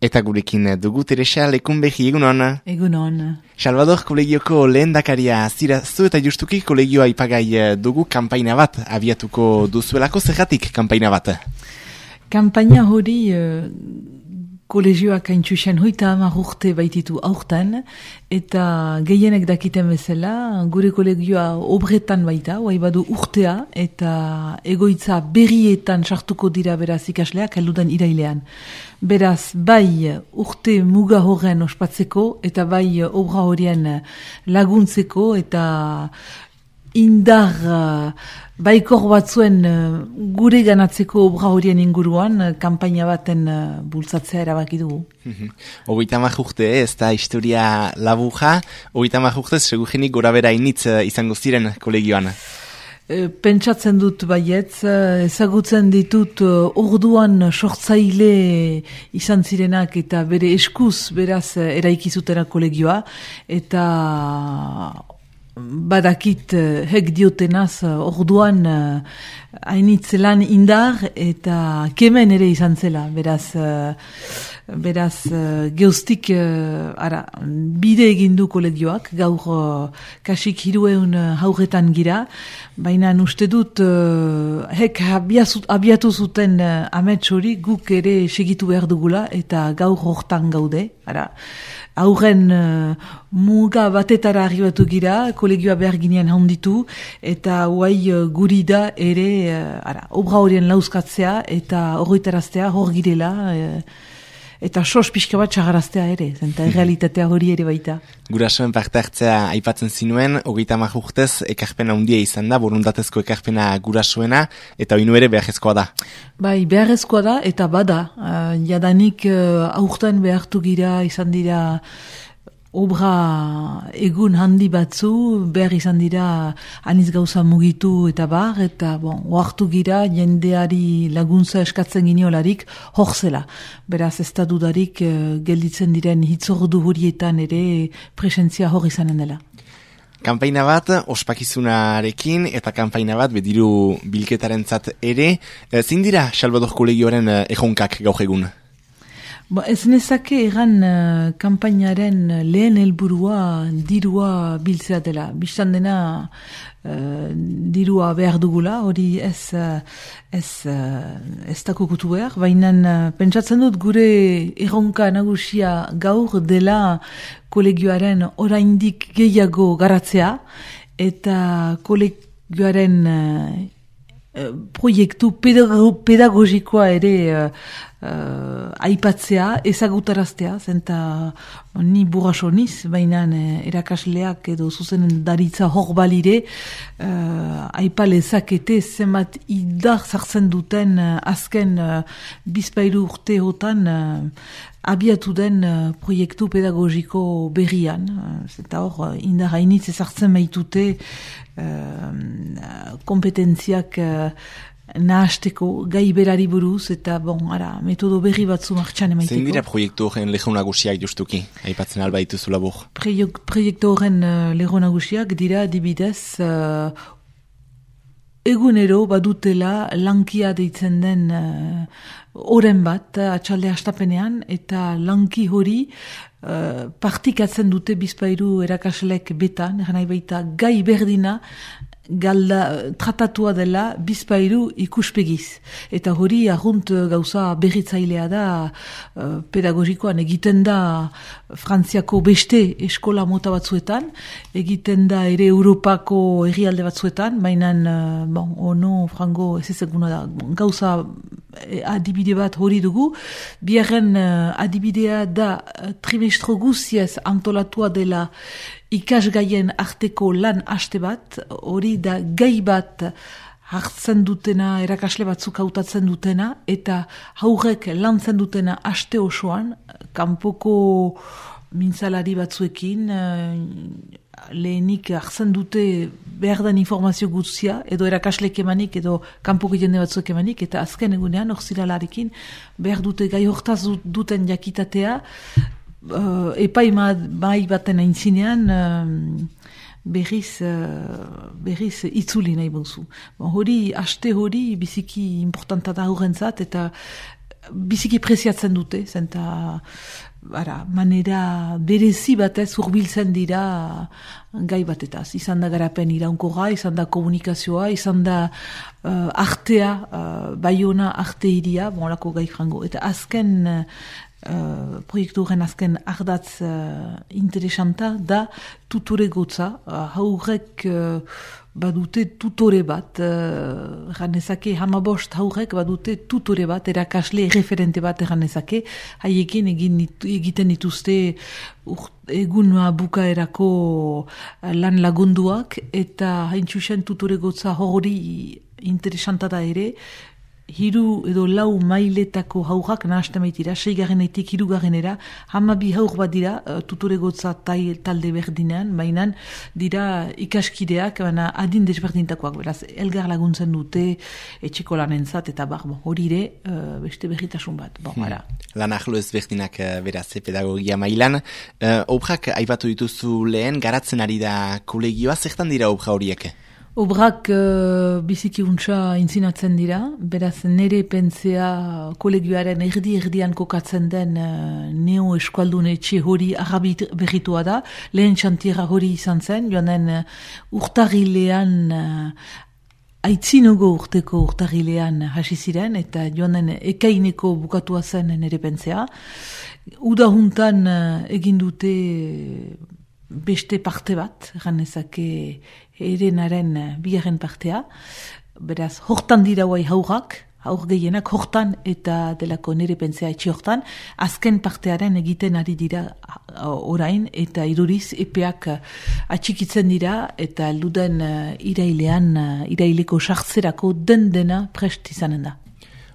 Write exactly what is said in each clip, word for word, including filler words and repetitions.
Eta gurekin dugu Teresa Lekunbegi, egunon. Egunon. Salvador kolegioko lehendakaria zira zu eta justuki kolegioa ipagai dugu kanpaina bat abiatuko duzuelako, zergatik kanpaina bat? Kanpaina hori uh, kolegioak haintxusen hoita hamar urte baititu aurten, eta gehienek dakiten bezala, gure kolegioa obretan baita, oai badu urtea, eta egoitza berrietan sartuko dira beraz ikasleak, heldudan irailean. Beraz, bai urte muga horren ospatzeko, eta bai obra horien laguntzeko, eta indar uh, baikor batzuen uh, gure ganatzeko obra horien inguruan, uh, kanpaina baten uh, bultzatzea erabaki dugu. Hogeita hamar urte, ez da historia laburra, hogeita hamar urte segurenik gora bera initz uh, izango ziren kolegioan. Pentsatzen dut baietz, ezagutzen ditut orduan sortzaile izan zirenak eta bere eskuz beraz eraikizutena kolegioa, eta badakit hek diotenaz orduan hainitz lan indar eta kemen ere izan zela, beraz beraz geustik ara, bide egin du kolegioak, gaur kasik hirueun haurretan gira, baina uste dut hek abiatu zuten amets hori guk ere segitu behar dugula eta gaur hortan gaude, ara. Aurren uh, muga batetara arribatu gira, kolegioa behar ginean handitu, eta huai uh, guri da ere, uh, ara, obra horien lauzkatzea, eta horretaraztea hor girela, uh, eta sos pixka bat txagaraztea ere, eta realitatea hori ere baita. Gurasoen parte hartzea aipatzen zinuen, hogeita hamar urtez ekarpena handia izan da, borundatezko ekarpena gurasoena, eta oinu ere beharrezkoa da. Bai, beharrezkoa da, eta bada, uh, jadanik uh, aurten behartu gira izan dira obra egun handi batzu, behar izan dira aniz gauza mugitu eta bar, eta bon, oartu gira jendeari laguntza eskatzen gineolarik hor zela. Beraz ez da dudarik uh, gelditzen diren hitzordu horietan ere presentzia hor izanen dela. Kanpaina bat ospakizunarekin eta kanpaina bat bediru bilketarentzat ere, zein dira Salvador kolegioaren erronkak gaur egun? Ba, ez nezake egan uh, kanpainaren lehen helburua dirua biltzea dela. Bistan dena uh, dirua behar dugula, hori ez, uh, ez, uh, ez dakukutu behar, baina uh, pentsatzen dut gure erronka nagusia gaur dela kolegioaren oraindik gehiago garatzea, eta kolegioaren uh, proiektu pedago, pedagogikoa ere uh, Uh, aipatzea, ezagutaraztea, zenta ni burraso niz, baina uh, erakasleak edo zuzenen daritza hor balire, uh, aipalezakete zenbat idar zartzen duten uh, azken uh, bizpairu urteotan uh, abiatu den uh, proiektu pedagogiko berrian, uh, zenta hor uh, indar hainitz ezartzen baitute uh, kompetentziak uh, nahasteko gai berari buruz, eta bon, ara, metodo berri batzu martxan emaiteko. Zein dira proiektu horren leho nagusiak justuki, aipatzen alba dituzu labur? Proiektu horren uh, leho nagusiak dira dibidez uh, egunero badutela lankia deitzen den uh, oren bat, uh, atxalde hastapenean, eta lanki hori uh, partikatzen dute bizpairu erakaslek betan, eran nahi baita gai berdina, galda tratatua dela bizpairu ikuspegiz. Eta hori ahunt gauza berritzailea da uh, pedagogikoan egiten da Frantziako beste eskola mota batzuetan, egiten da ere Europako herrialde batzuetan, baina uh, bon, ono, frango, ez ezaguna da, gauza adibide bat hori dugu. Biarren uh, adibidea da uh, trimestro guziez antolatua dela ikasgaien arteko lan haste bat, hori da gai bat hartzen dutena, erakasle batzuk hautatzen dutena, eta haurrek lantzen dutena haste osoan, kanpoko mintzalari batzuekin, lehenik hartzen dute behar den informazio guztia, edo erakaslek emanik, edo kanpoko jende batzuek emanik, eta azken egunean, orziralarekin, behar dute gai hortaz duten jakitatea, Uh, epai mai baten aintzinean uh, berriz, uh, berriz itzuli nahi bauzu. Bon, hori, haste hori biziki importanta da horrentzat, eta biziki preziatzen dute, zenta bara, manera berezi batez hurbiltzen dira gai batetaz. Izan da garapen iraunkorra, izan da komunikazioa, izan da uh, artea, uh, Baiona arte iria, bon, lako gai frango. Eta azken uh, proiektu horren azken ardatz uh, interesanta da tutore gotza, uh, haurek uh, badute tutore bat, uh, ganezake hamabost haurek badute tutore bat, erakasle referente bat ganezake, haiekin egin, egiten dituzte egun bukaerako lan lagunduak, eta haintxusen tutore gotza hori interesanta da ere, hiru edo lau mailetako haurrak nahasten baitira, seigarrenetik hirugarrenera, hamabi haur bat dira tutore gotza talde berdinean, baina dira ikaskideak, baina adin desberdintakoak, beraz, elgar laguntzen dute etxeko lanentzat, eta bar, bon, hori ere, uh, beste berritasun bat. Bon, hmm. Lan ahlo ezberdinak beraz, pedagogia mailan. Uh, obrak aipatu dituzu lehen, garatzen ari da kolegioa, zertan dira obra horiek? Obrak uh, biziki untsa intzinatzen dira, beraz nere pentsea kolegioaren erdi-erdian kokatzen den uh, neo eskualdun etxe hori arrabit berritua da, lehen txantiera hori izan zen, joanen uh, urtarrilean, uh, aitzinogo urteko urtarrilean hasi ziren, eta joanen ekaineko bukatua zen nere pentsea. Uda juntan uh, egin dute beste parte bat, ganezake erenaren bigarren partea, beraz, hortan dira guai haurrak, haur gehienak hortan eta delako nire pentsea etxe hortan, azken partearen egiten ari dira orain, eta iduriz epeak atxikitzen dira, eta elduden irailean, iraileko sartzerako den dena prest izanen da.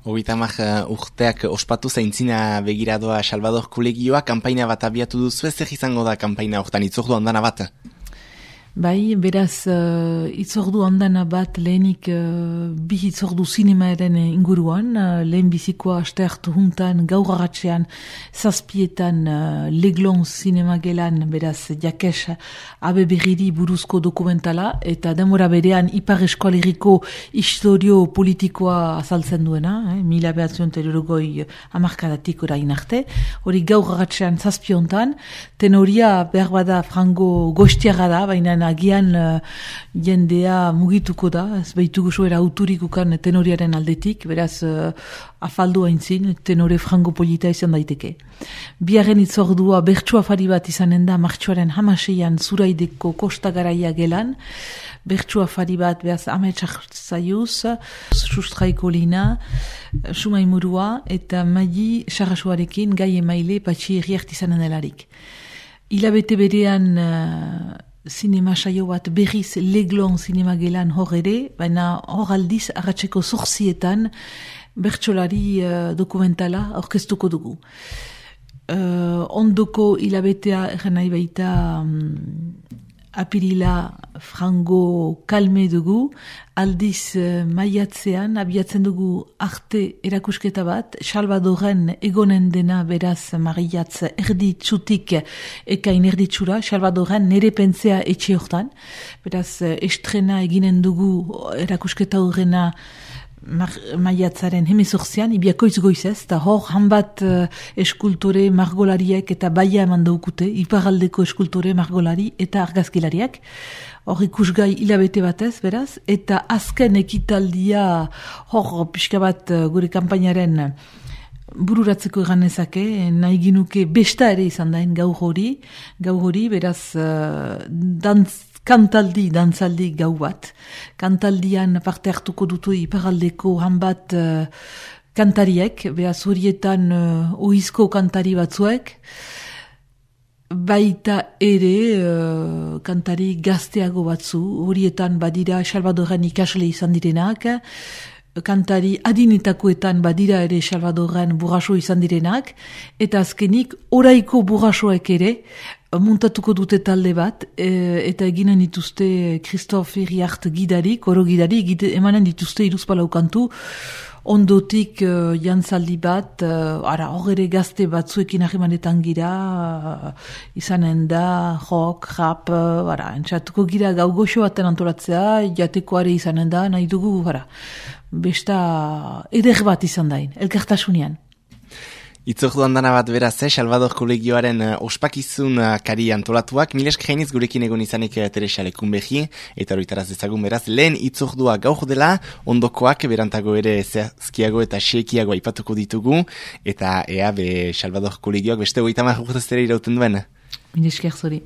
Hogitamak uh, urteak ospatu zaintzina begiradoa Salvador kolegioa, kanpaina bat abiatu duzu, zer izango da kanpaina hortan, itzordu handana bat? Bai, beraz, uh, itzordu handana bat lehenik uh, bi itzordu zinemaaren inguruan, uh, lehen bizikoa aste hartu juntan, gaur agatxean, zazpietan uh, Leglon zinema gelan, beraz, jakes abe berriri buruzko dokumentala, eta demora berean Ipar Eskualeriko historio politikoa azaltzen duena, eh, mila behatzion terorogoi amarkadatik orain arte, hori gaur agatxean zazpiontan, tenoria behar bada frango goiztiaga da, baina agian uh, jendea mugituko da, ez behitugu soera auturikukan tenoriaren aldetik, beraz uh, afaldu haintzin, tenore frango polita izan daiteke. Biaren itzordua bertsu afari bat izanen da, martxoaren hamaseian Zuraideko Kosta Garaia gelan, bertsu afari bat, behaz, ametsak zaiuz, sustraiko lina, sumaimurua, eta maili sarrasuarekin gai emaile patxi erriart izanen delarik. Hilabete berean uh, zinema saio bat berriz Leglon zinema gelan hor ere, baina hor aldiz arratseko zortzietan bertsolari uh, dokumentala aurkeztuko dugu. Uh, ondoko hilabetea erran nahi baita um, apirila frango kalme dugu, aldiz uh, maiatzean abiatzen dugu arte erakusketa bat, Salvadoren egonen dena beraz mariatz erditzutik ekain erditsura, Salvadoren nere pentsea etxe hortan, beraz estrena eginen dugu erakusketa horrena maiatzaren hemezortzian, ibiakoiz goizez, eta hor hanbat uh, eskultore margolariek eta baia eman daukute, iparaldeko eskultore margolari eta argazkilariak. Hor ikusgai hilabete batez, beraz, eta azken ekitaldia hor pixka bat uh, gure kampainaren bururatzeko eganezake, nahi ginuke besta ere izan dain gau hori, gau hori, beraz, uh, dantz kantaldi, dantzaldi gau bat. Kantaldian parte hartuko dutu iparaldeko hanbat uh, kantariek, behaz horietan uh, oizko kantari batzuek, baita ere uh, kantari gazteago batzu, horietan badira Salvadoren ikasle izan direnak, kantari adinetakoetan badira ere Salvadoren burraso izan direnak, eta azkenik oraiko burrasoek ere muntatuko dute talde bat, e, eta eginen dituzte Christophe Iriart gidari, koro gidari, gide, emanen dituzte iruzpalau kantu, ondotik uh, jantzaldi bat, uh, ara horre gazte batzuekin ahimanetan gira, uh, izanen da, rock, rap, uh, ara, entzatuko gira gau goxo baten antolatzea, jatekoare izanen da, nahi dugu, ara, besta eder bat izan dain, elkartasunean. Itzordu handana bat beraz, eh, Salvador kolegioaren uh, ospakizun uh, kari antolatuak, milesk jainiz gurekin egon izanik uh, Teresa Lekunbehi, eta horitaraz dezagun beraz, lehen itzordua gaur dela, ondokoak berantago ere zehazkiago eta xekiago aipatuko ditugu, eta ea be Salvador kolegioak beste hogeita hamar urtez ere irauten duen. Milesker zori.